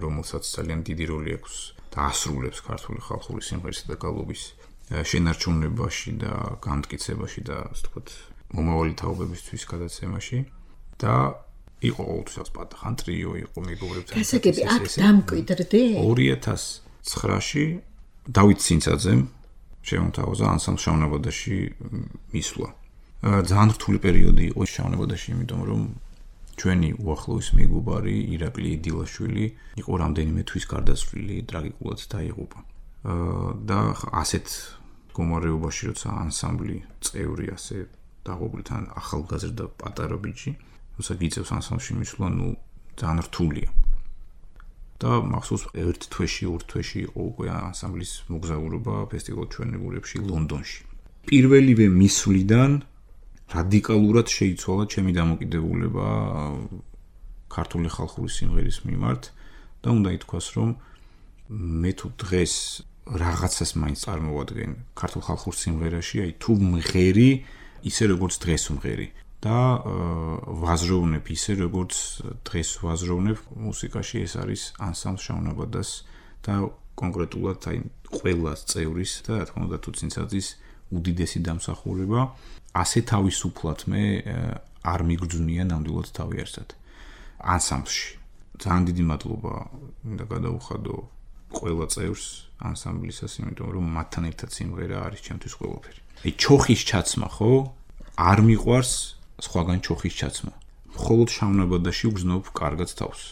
რომელსაც ძალიან დიდი როლი აქვს და ასრულებს ქართული ხალხური სიმღერისა და გალობის შენარჩუნებაში და განმტკიცებაში და ასე ვთქვათ, მომავალი თაობებისთვის გადაცემაში. და იყო ყოველთვის პატახან ტრიო იყო მეგობრებთან. გასაგები აქ დამკვიდრდი? ორი ათას ცხრაში დავით ცინცაძემ შემოთავაზა ანსამბლ შავნაბადაში მისვლა. ძალიან რთული პერიოდი იყო შავნაბადაში, იმიტომ რომ ჩვენი უახლოესი მეგობარი ირაკლი დილაშვილი იყო რამდენიმე თვის გარდაცვლილი, ტრაგიკულად დაიღუპა. და ასეთ მდგომარეობაში როცა ანსამბლი წევრი ასე დაღუპულთან ახალგაზრდა პატარა ბიჭი როცა გიწევს ანსამბლში მისვლა, ნუ ძალიან რთულია. და მახსოვს ერთ თვეში, ორ თვეში იყო უკვე ანსამბლის მოგზაურობა ფესტივალ ჩვენებურებში ლონდონში. პირველივე მისვლიდან რადიკალურად შეიცვალა ჩემი დამოკიდებულება ქართული ხალხური სიმღერის მიმართ და უნდა ითქვას, რომ მე თუ დღეს რაღაცას მაინც წარმოვადგენ ქართულ ხალხურ სიმღერაში, აი თუ მღერი ისე როგორც დღეს ვმღერი. და ვაზროვნებ ისე როგორც დღეს ვაზროვნებ მუსიკაში ეს არის ანსამბლ შავნაბადას და კონკრეტულად აი ყველა წევრის და რა თქმა უნდა თუ ცინცაძის უდიდესი დამსახურება ასე თავისუფლად მე არ მიგრძვნია ნამდვილად თავი არსად ანსამბლში ძალიან დიდი მადლობა მინდა გადაუხადო ყველა წევრს ანსამბლისას იმიტომ რომ მათთან ერთად სიმღერა არის ჩემთვის ყველაფერი აი ჩოხის ჩაცმა ხო არ მიყვარს სხვაგან ჩოხის ჩაცმა. მხოლოდ შავნაბადაში ვგზნობ კარგად თავს.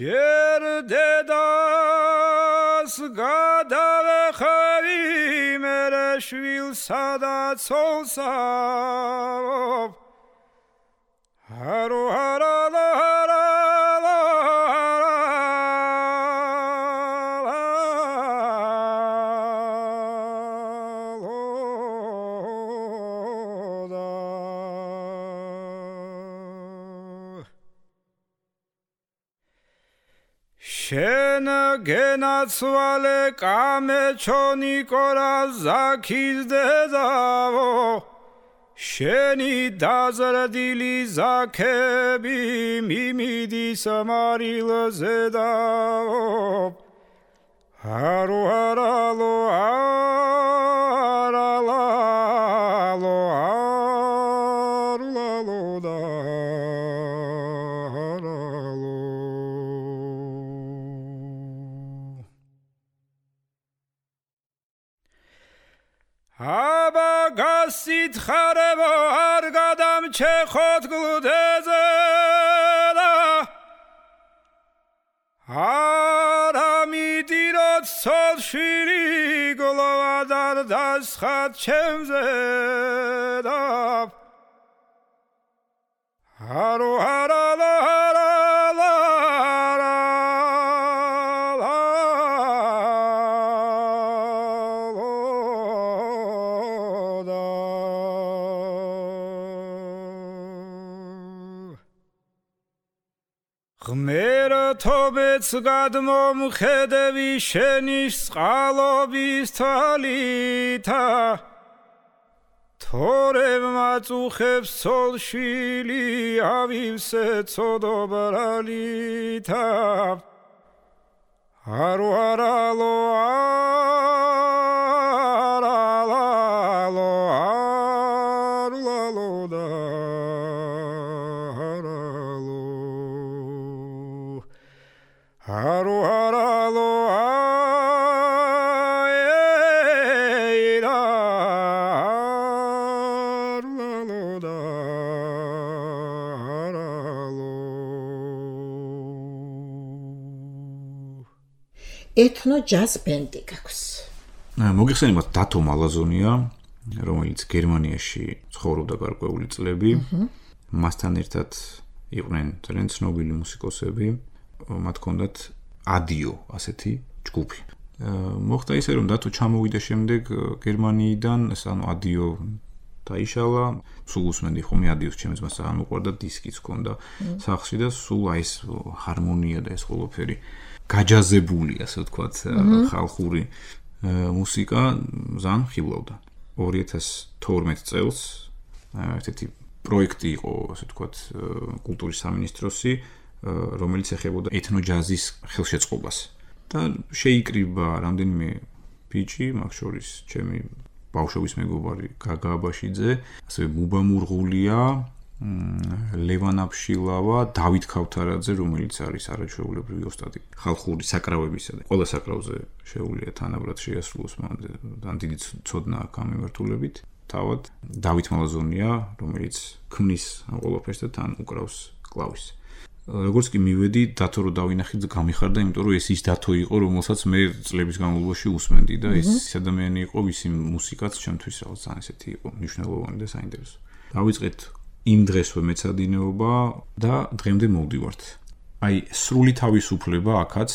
Ջերդեդաս գադավեխավի մերեշվիլ սադացոսավ հարու հարալա հարալա შენ გენაცვალე კამეჩონი კორა ზაქის დედავო შენი დაზრდილი ზაქები მიმიდის მარილზე დავო არო არალო არალალო არლალო და არალო აბა გასითხარებო არ გადამჩეხოთ გლუდეზე და არამიდიროთ ცოლშვილი გლოვადარ დასხად ჩემზე და არო არალა არალა ღმერთობეც გადმომხედევი შენის წყალობის თალითა თორემ მაწუხებს ცოლშვილი ავივსე ცოდობრალითა არო არალო არალალო არლალო და არო არალო აერა არლალო და არალო ეთნო ჯაზ ბენდი გაქვს. მოგიხსენებათ დათო მალაზონია, რომელიც გერმანიაში ცხოვრობდა გარკვეული წლები. მასთან ერთად იყვნენ ძალიან ცნობილი მუსიკოსები. მათ ჰქონდათ ადიო ასეთი ჯგუფი. მოხდა ისე რომ დათო ჩამოვიდა შემდეგ გერმანიიდან, ანუ ადიო დაიშალა, სულ უსმენდი ხომ ადიოს ჩემს მას ძალიან უყვარდა, დისკიც ჰქონდა სახლში და სულ აი ეს ჰარმონია და ეს ყველაფერი გაჯაზებული, ასე ვთქვათ, ხალხური მუსიკა ძალიან ხიბლავდა. ორი ათას თორმეტ წელს ერთ-ერთი პროექტი იყო, ასე ვთქვათ, კულტურის სამინისტროსი, რომელიც ეხებოდა ეთნოჯაზის ხელშეწყობას და შეიკრიბა რამდენიმე ბიჭი, მაგ შორის ჩემი ბავშვობის მეგობარი გაგა აბაშიძე, ასევე ბუბა მურღულია, ლევან აბშილავა, დავით ქავთარაძე, რომელიც არის არაჩვეულებრივი ოსტატი ხალხური საკრავებისა და ყველა საკრავზე შეუძლია თანაბრად შეასრულოს, მან დიდი ცოდნა აქვს ამ მიმართულებით. თავად დავით მალაზონია, რომელიც ქმნის ყველაფერს და თან უკრავს კლავის. როგორც კი მივედი, დათო რო დავინახე, გამიხარდა, იმიტომ რომ ეს ის დათო იყო, რომელსაც მე წლების განმავლობაში უსმენდი და ეს ადამიანი იყო, ვისი მუსიკაც ჩემთვის რაღაც ძალიან ესეთი იყო, მნიშვნელოვანი და საინტერესო. დავიწყეთ იმ დღესვე მეცადინეობა და დღემდე მოვდივართ. აი, სრული თავისუფლება აქაც,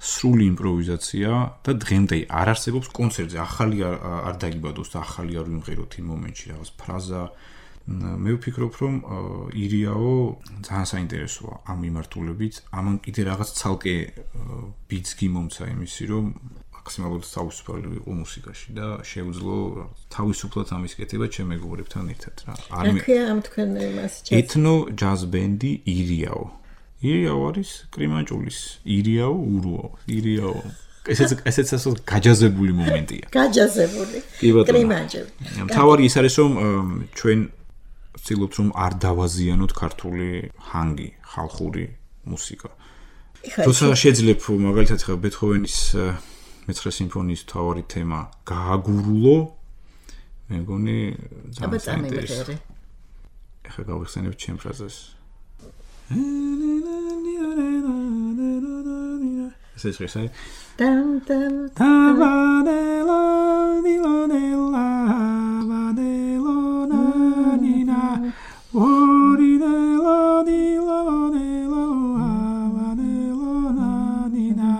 სრული იმპროვიზაცია და დღემდე არ არსებობს კონცერტზე, ახალი არ დაიბადოს და ახალი არ ვიმღეროთ იმ მომენტში რაღაც ფრაზა. მე ვფიქრობ, რომ ირიაო ძალიან საინტერესოა ამ მიმართულებით. ამან კიდე რაღაც ცალკე ბიძგი მომცა იმისი, რომ მაქსიმალურად თავისუფალი იყო მუსიკაში და შეუძლო თავისუფლად ამის კეთება ჩემ მეგობრებთან ერთად რა. არ მექია ამ თქვენ მას ჯაზ. ეთნო ჯაზ ბენდი ირიაო. ირიაო არის კრიმანჭულის ირიაო ურუო. ირიაო. ესეც ესეც ასე გაჯაზებული მომენტია. გაჯაზებული. კრიმანჭული. თავარი ის არის, რომ ჩვენ ვცდილობთ რომ არ დავაზიანოთ ქართული ჰანგი, ხალხური მუსიკა. თუმცა შეიძლება მაგალითად ხა ბეთჰოვენის მეცხრე სიმფონიის თავარი თემა გააგურულო, მე მგონი ძალიან საინტერესოა. ეხლა გავიხსენებ ჩემ ფრაზას. ეს ის ხესაი. დამ დამ დავადელო დილონელა ვადელონა ნინა ორიდელო დილონელო ვადელონა ნინა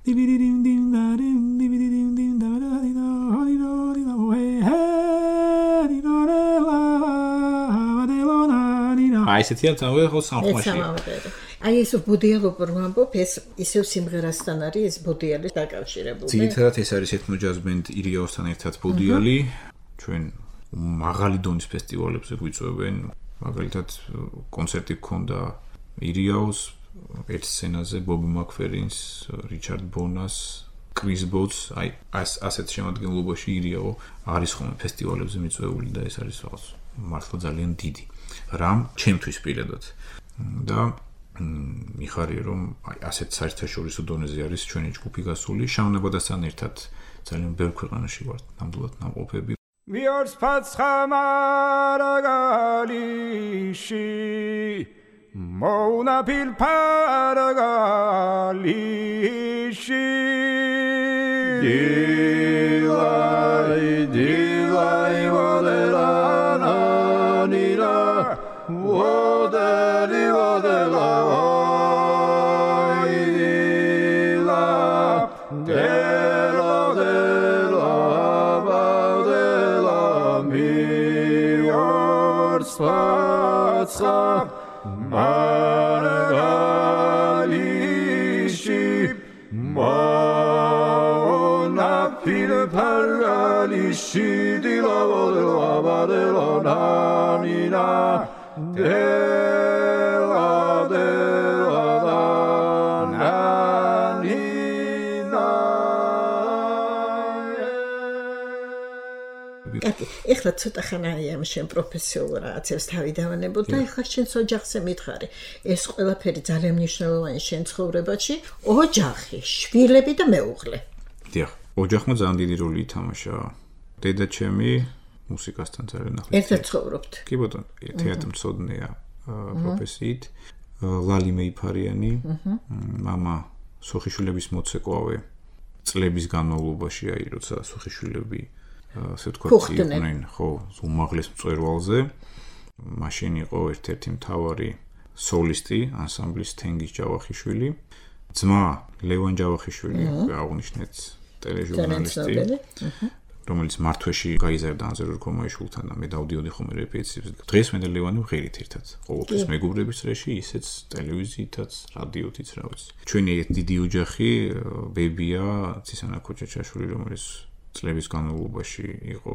დიბიდიმ dim darim dibidim dim daradino hodino we hedinorela vadelona nina აი ესეთია თავი ხო სამხმაში აი ეს ბუდიალობ რომ ამბობ, ეს ისევ სიმღერასთან არის ეს ბუდიალი დაკავშირებული. ძირითადად ეს არის ეთნო ჯაზ ბენდ ირიაოსთან ერთად ბუდიალი, ჩვენ მაღალი დონის ფესტივალებზე გვიწვევენ, მაგალითად კონცერტი გქონდა ირიაოს ერთ სცენაზე ბობ მაკფერინს, რიჩარდ ბონას, კრის ბოც, აი ასეთ შემადგენლობაში ირიაო არის ხოლმე ფესტივალებზე მიწვეული და ეს არის რაღაც მართლა ძალიან დიდი რამ ჩემთვის პირადად. და მიხარია რომ აი ასეთ საერთაშორისო დონეზე არის ჩვენი ჯგუფი გასული, შავნაბადასთან ერთად ძალიან ბევრ ქვეყანაში ვართ ნამდვილად ნამყოფები. Მიორს ფაცხამარაგალიში მოუნა ფილპარაგალიში დილაი დილაი ვოდელანანირა ვოდელი ვოდელაი დილა დელა დელა ბადელა მიორს ფაცხამარაგალიში მოუნა ფილპარაგალიში დილა ვოდელა ბადელა ნანირა დელა დელა ნანირა ეხლა ცოტა ხანაა ამ შენ პროფესიულ რაღაცებს თავი დავანებოთ და ეხლა შენს ოჯახზე მითხარი. ეს ყველაფერი ძალიან მნიშვნელოვანი შენ ცხოვრებაში, ოჯახი, შვილები და მეუღლე. დიახ, ოჯახმა ძალიან დიდი როლი ითამაშა. დედა ჩემი მუსიკასთან ძალიან ახლოს. ერთად ცხოვრობთ. კი ბატონო, თეატრმცოდნეა პროფესიით. ლალი მეიფარიანი, მამა სოხიშვილების მოცეკვავე. წლების განმავლობაში, აი, როცა სოხიშვილები ასე ვთქვათ, იყვნენ, ხო, უმაღლეს მწვერვალზე. მაშინ იყო ერთ-ერთი მთავარი სოლისტი ანსამბლის თენგის ჯავახიშვილი. ძმა ლევან ჯავახიშვილი, აღნიშნეთ ტელეჟურნალისტი, რომელიც მართვეში გაიზარდა ანზორ კომაიშვილთან და მე დავდიოდი ხოლმე რეპეტიციებზე. დღეს მე და ლევანი ვღერით ერთად. ყოველთვის მეგობრების წრეში, ისეც ტელევიზიითაც, რადიოთიც, რა ვიცი. ჩვენი დიდი ოჯახი, ბებია, ცისანა ქოჩაჩაშვილი, რომელიც წლების განმავლობაში იყო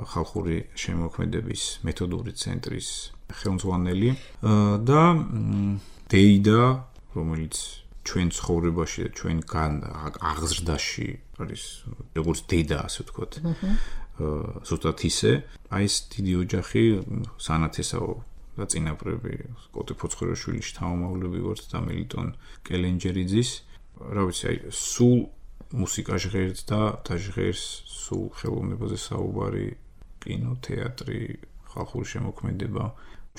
ხალხური შემოქმედების მეთოდური ცენტრის ხელმძღვანელი და დეიდა, რომელიც ჩვენ ცხოვრებაში და ჩვენ აღზრდაში არის როგორც დედა, ასე ვთქვათ, ზუსტად ისე, აი ეს დიდი ოჯახი, სანათესაო და წინაპრები, კოტე ფოცხორაშვილი შთამომავლები ვართ და მელიტონ კელენჯერიძის, რა ვიცი, აი სულ მუსიკა ჟღერს და და ჟღერს სულ ხელოვნებაზე საუბარი, კინო, თეატრი, ხალხური შემოქმედება,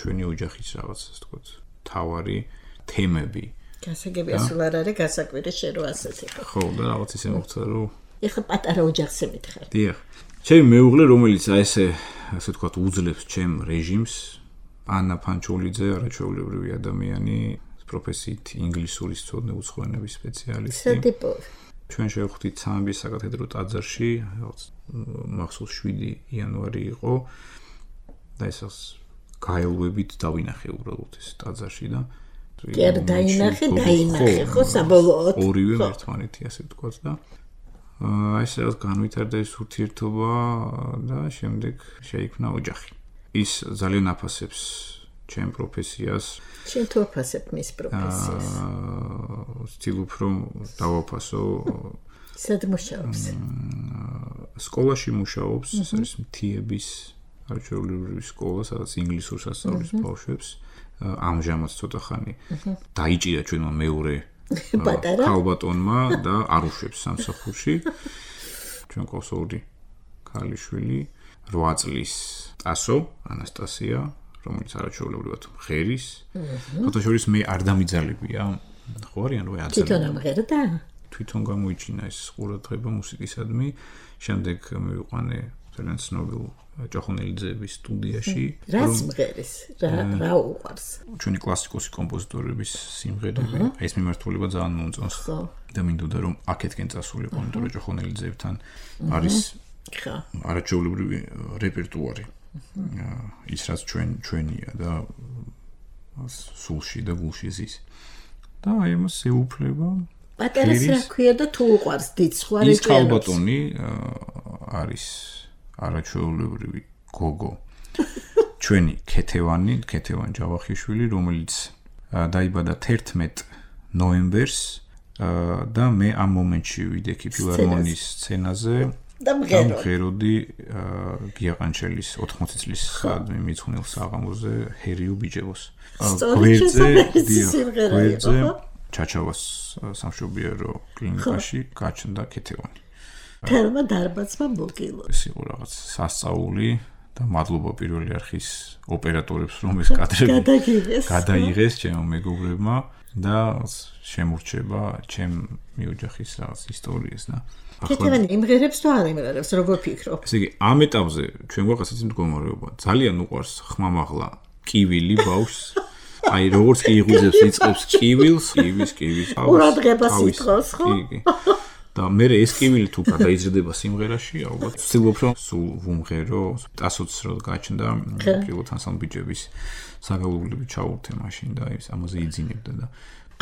ჩვენი ოჯახის რაღაც, ასე ვთქვათ, თავარი თემები. გასაგები ასულ არ არის გასაკვირი შენ რო ასეთ იყო. ხო, და რაღაც ისე მოხდა, რომ ეხლა პატარა ოჯახზე მითხარ. დიახ. ჩემი მეუღლე, რომელიც აი ესე, ასე ვთქვათ, უძლებს ჩემ რეჟიმს, ანა ფანჩოლიძე, არაჩვეულებრივი ადამიანი, პროფესიით ინგლისურის მცოდნე უცხოენების სპეციალისტი. სატიპო ჩვენ შევხვდით სამების საკათედრო ტაძარში, რაღაც მახსოვს შვიდი იანვარი იყო და ესას გაელვებით დავინახე უბრალოდ ეს ტაძარში და კი არ დაინახე, დაინახე, ხო, საბოლოოდ. ორივე ერთმანეთი, ასე ვთქვათ და აი ეს რაღაც განვითარდა ეს ურთიერთობა და შემდეგ შეიქმნა ოჯახი. ის ძალიან აფასებს ჩემ პროფესიას. შენ თუ აფასებ მის პროფესიას? ვცდილობ რომ დავაფასო. სად მუშაობს? სკოლაში მუშაობს, ეს არის მთიების არჩეულებრივი სკოლა, სადაც ინგლისურს ასწავლის ბავშვებს. ამჟამად ცოტა ხანი დაიჭირა ჩვენმა მეორე ქალბატონმა და არ უშვებს სამსახურში. ჩვენ ყავს ორი ქალიშვილი, რვა წლის ტასო, ანასტასია, რომელიც არაჩვეულებრივად მღერის. ფოტოშორის მე არ დამიძალებია, ხო არიან რო აძალე. თვითონ ამღერდა? თვითონ გამოიჩინა ეს ყურადღება მუსიკისადმი. შემდეგ მივიყვანე ძალიან ცნობილ ჯოხონელიძეების სტუდიაში. რას მღერის? რა რა უყვარს? ჩვენი კლასიკოსი კომპოზიტორების სიმღერები. აი ეს მიმართულება ძალიან მომწონს. და მინდოდა რომ აქეთკენ წასულიყო, იმიტომ რომ ჯოხონელიძეებთან არის ხა არაჩვეულებრივი რეპერტუარი. ის რაც ჩვენ ჩვენია და სულში და გულში ზის. და აი ამას ეუფლება. პატერას რა ქვია და თუ უყვარს დიდ სხვა რეჭიანობს. ის ხალბატონი არის არაჩვეულებრივი გოგო. ჩვენი ქეთევანი, ქეთევან ჯავახიშვილი, რომელიც დაიბადა თერთმეტ ნოემბერს და მე ამ მომენტში ვიდექი ფილარმონიის სცენაზე და მღეროდი გიაყანჩელის ოთხმოცი წლის მიძღვნილ საღამოზე ჰერიუ ბიჯევოს. გვერდზე გვერდზე ჩაჩავას სამშობიარო კლინიკაში გაჩნდა ქეთევანი. თელმა დარბაცმა მოგილო. ეს იყო რაღაც სასწაული და მადლობა პირველი არხის ოპერატორებს, რომ ეს კადრები გადაიღეს ჩემო მეგობრებმა და შემურჩება ჩემ მიოჯახის რაღაც ისტორიას და ქეთევანი იმღერებს თუ არ იმღერებს, როგორ ფიქრობ? ესე იგი, ამ ეტაპზე ჩვენ გვაქვს ასეთი მდგომარეობა. ძალიან უყვარს ხმამაღლა კივილი ბავშვს. აი, როგორც კი იღუძებს იწყებს კივილს, კივის, კივის. ყურადღებას ითხოვს, ხო? კი. და მე ეს კივილი თუ გადაიზრდება სიმღერაში, ალბათ ვცდილობ რომ სულ ვუმღერო, ტასოც რო გაჩნდა პირველ ანსამბლების საგალობლები ჩაურთე მაშინ და ის ამაზე იძინებდა და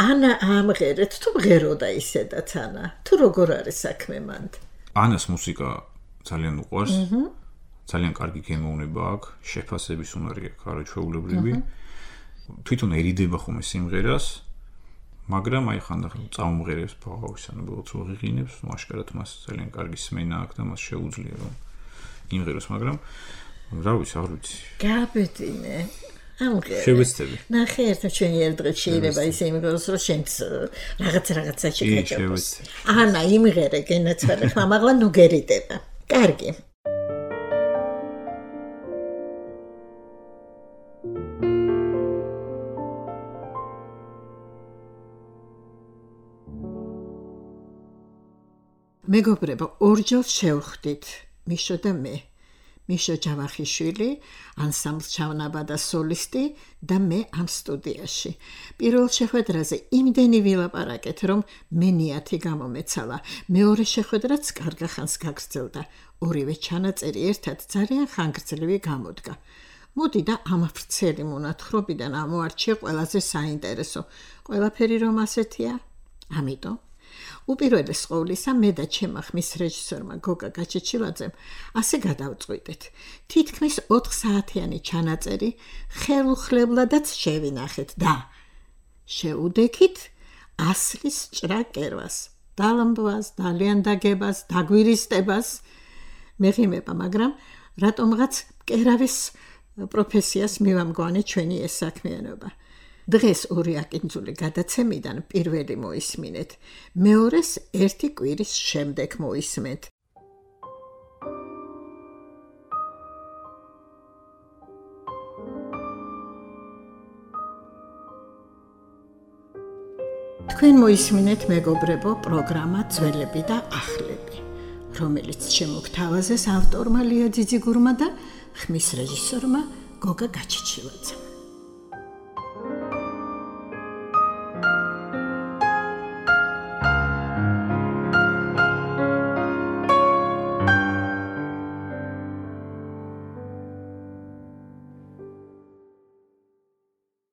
ანა ამღერეთ თუ მღეროდა ისედაც ანა თუ როგორ არის საქმე მანდ ანას მუსიკა ძალიან უყვარს ძალიან კარგი გემოვნება აქვს შეფასების უნარი აქვს არაჩვეულებრივი თვითონ ერიდება ხომ სიმღერას მაგრამ აი ხანდახან წაუმღერებს ბავშვს ანუ ბოლოს რო ღიღინებს ნუ აშკარად მას ძალიან კარგი სმენა აქვს და მას შეუძლია რომ იმღეროს მაგრამ რა ვიცი არ ვიცი გაბედინე ამღერე შევეცდები ნახე ერთ ჩვენი ერთ დღეს შეიძლება ისე იმღეროს რომ შენც რაღაც რაღაცა შეგაჭიროს ანა იმღერე გენაცვალე ხმამაღლა ნუ გერიდება კარგი მეგობრებო, ორჯერ შევხვდით მიშო და მე. მიშო ჯავახიშვილი, ანსამბლ ჩავნაბა და სოლისტი და მე ამ სტუდიაში. პირველ შეხვედრაზე იმდენი ვილაპარაკეთ, რომ მე ნიათი გამომეცალა. მეორე შეხვედრაც კარგა ხანს გაგრძელდა. ორივე ჩანაწერი ერთად ძალიან ხანგრძლივი გამოდგა. მოდი და ამ ვრცელი მონათხრობიდან ამოარჩიე ყველაზე საინტერესო. ყველაფერი რომ ასეთია? ამიტომ უპირველეს ყოვლისა მე და ჩემმა ხმის რეჟისორმა გოგა გაჩეჩილაძემ ასე გადავწყვიტეთ. თითქმის ოთხ საათიანი ჩანაწერი ხელუხლებლადაც შევინახეთ და შეუდექით ასლის ჭრა კერვას, დალმბვას, დალიანდაგებას, დაგვირისტებას მეღიმება, მაგრამ რატომღაც კერავის პროფესიას მივამგვანე ჩვენი ეს საქმიანობა. დღეს ორი აკინძული გადაცემიდან პირველი მოისმინეთ, მეორეს ერთი კვირის შემდეგ მოისმენთ. თქვენ მოისმინეთ მეგობრებო პროგრამა ძველები და ახლები, რომელიც შემოგთავაზეს ავტორმა ლია ძიძიგურმა და ხმის რეჟისორმა გოგა გაჩეჩილაძემ.